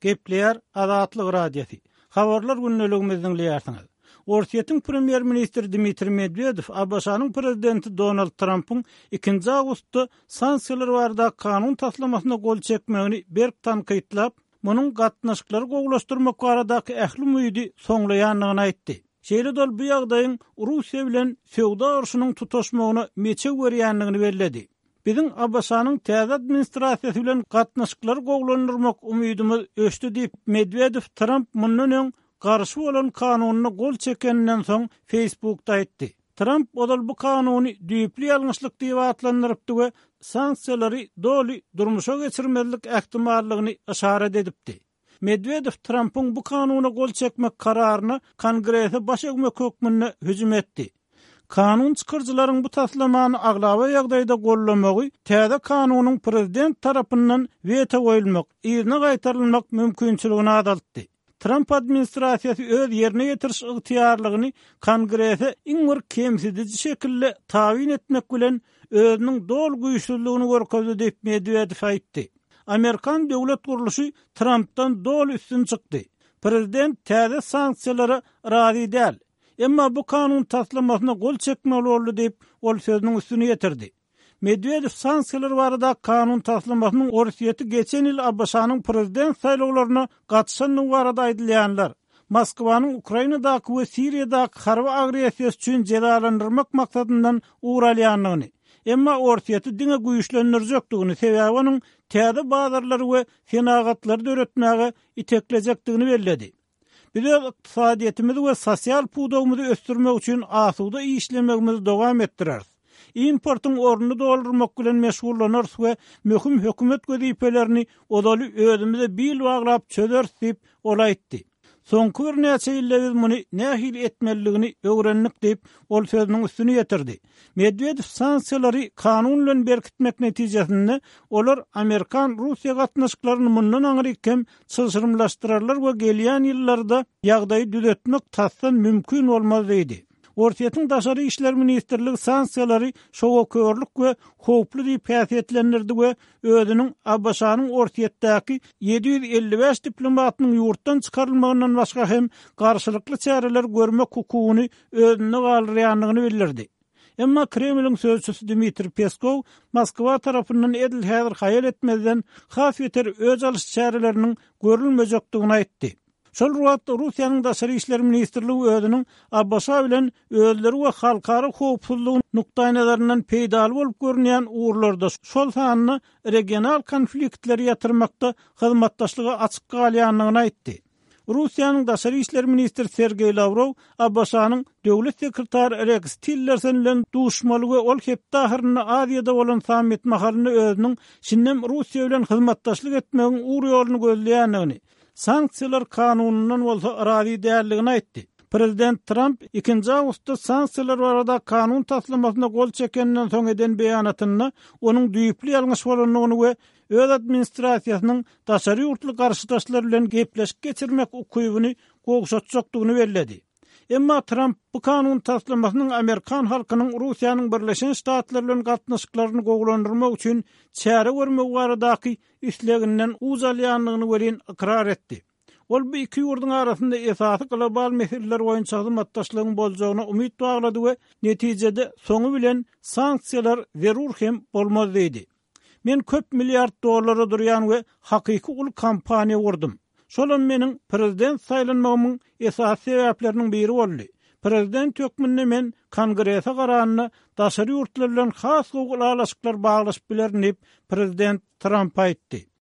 Gepleýär Azatlyk Radiosy. Habarlar gündeligimizi diňleýärsiňiz. Orsýetiň premýer-ministri Dmitriý Medwedew ABŞ-nyň prezidenti Donald Trampyň ikinji awgustda sanksiýalar baradaky kanun taslamasyna gol çekmegini berk tankytlap, munuň gatnaşyklary gowulaşdyrmak baradaky ähli umydy soňlaýandygyny aýtdy. Şeýle-de ol bu ýagdaýyň Russiýa bilen söwda urşunyň tutaşmagyna meçew berýändigini belledi. Biziň ABŞ-nyň täze administrasiýasy bilen gatnaşyklary gowulandyrmak umydymyz öçdi diýip, Medwedew Tramp mundan öň garşy bolan kanunyna gol çekeninden soň Facebookda aýtdy. Tramp ozal bu kanuny düýpli ýalňyşlyk diýip atlandyrypdy we sanksiýalary doly durmuşa geçirmezlik ähtimallygyny yşarat edipdi. Medwedew Trampyň bu kanuna gol çekmek kararyna Kongrese baş egmek hökmünde hüjüm etdi. Kanun çykaryjylaryň bu taslamany aglaba ýagdaýda goldamagy täze kanunyň prezident tarapyndan weto goýulmak, yzyna gaýtarylmak mümkinçiligini azaltdy. Tramp administrasiýasy öz ýerine ýetiriş ygtyýarlygyny Kongrese iň bir kemsidiji şekilde tabyn etmek bilen özüniň doly güýçsüzligini görkezdi diýip, Medwedew aýtdy. Amerikan döwlet gurluşy Trampdan doly üstün çykdy. Prezident täze sanksiýalara razy däl. Emma bu kanun taslamasyna gol çekmeli boldy diýip, ol sözüniň üstüni ýetirdi. Medwedew sanksiýalar barada kanun taslamasynyň Orsýeti geçen ýyl ABŞ-nyň prezident saýlawlaryna gatyşandygy barada aýdylýanlar, Moskwanyň Ukrainadaky we Siriýadaky harby agressiýasy üçin jezalandyrmak maksadyndan ugur alýandygyny, emma Orsýeti diňe güýçlendirjekdigini, sebäbi onuň täze bazarlary we senagatlary döretmäge iteklejekdigini belledi. Biz öz ykdysadyýetimizi we sosial pudagymyzy ösdürmek üçin asuda işlemegimizi dowam etdireris. Importyň ornuny doldurmak bilen meşgullanarys we möhüm hökümet wezipelerini ozaly özümize bil baglap çözeris diýip, ol aýtdy. Soňky birnäçe ýylda biz muny nähili etmelidigini öwrendik diýip, ol sözüniň üstüni ýetirdi. Medwedew sanksiýalary kanun bilen berkitmek netijesinde olar amerikan-russiýa gatnaşyklaryny mundan aňryk hem çylşyrymlaşdyrarlar we gelýän ýyllarda ýagdaýy düzetmek tasdan mümkin bolmaz diýdi. Orsýetiň Daşary işler ministrligi sanksiýalary şowakörlük we howply diýip häsiýetlendirdi we özüniň ABŞ-nyň Orsýetdäki 755 diplomatynyň ýurtdan çykarylmagyndan başga hem garşylykly çäreler görmek hukugyny özünde galdyrýandygyny bildirdi. Emma Kremliň sözçüsi Dmitriý Peskow Moskwa tarapyndan edil häzir haýal etmezden has beter öç alyş çäreleriniň görülmejekdigini aýtdy. Şol bir wagtda, Russiýanyň Daşary işler ministrligi özüniň ABŞ bilen özleri we halkara howpsuzlygy nukdaýnazaryndan peýdaly bolup görünýän ugurlarda, şol sanda regional konfliktleri ýatyrmakda hyzmatdaşlyga açyk galýandygyny aýtdy. Russiýanyň daşary işler ministri Sergeý Lawrow ABŞ-nyň Döwlet sekretary Reks Tillerson bilen duşmaly we ol hepde ahyrynda Aziýada bolan sammit mahalynda özüniň şindem Russiýa bilen hyzmatdaşlyk etmegiň ugur-ýoluny gözleýändigini, sanksiýalar kanunyndan bolsa razy däldigini aýtdy. Prezident Tramp ikinji awgustda sanksiýalar barada kanun taslamasyna gol çekeninden soň eden beýanatynda onuň düýpli ýalňyş bolandygyny we öz administrasiýasynyň daşary ýurtly garşydaşlar bilen gepleşik geçirmek ukybyny gowşatjakdygyny belledi. Emma Tramp bu kanun taslamasynyň amerikan halkynyň Russiýanyň Birleşen Ştatlary bilen gatnaşyklaryny gowulandyrmak üçin çäre görmegi baradaky isleginden uç alýandygyny welin ykrar etdi. Ol bu iki ýurduň arasynda esasy global meseleler boýunça hyzmatdaşlygyň boljagyna umyt baglady we netijede soňy bilen sanksiýalar zerur hem bolmaz diýdi. Men köp milliard dollara durýan we hakyky uly kompaniýa gurdum. Şolam meniň prezident saýlanmagymyň esasy sebäpleriniň biri boldy. Prezident hökmünde men Kongrese garanda daşary ýurtlar bilen has gowy ylalaşyklar baglaşyp bilerin diýip, prezident Tramp aýtdy.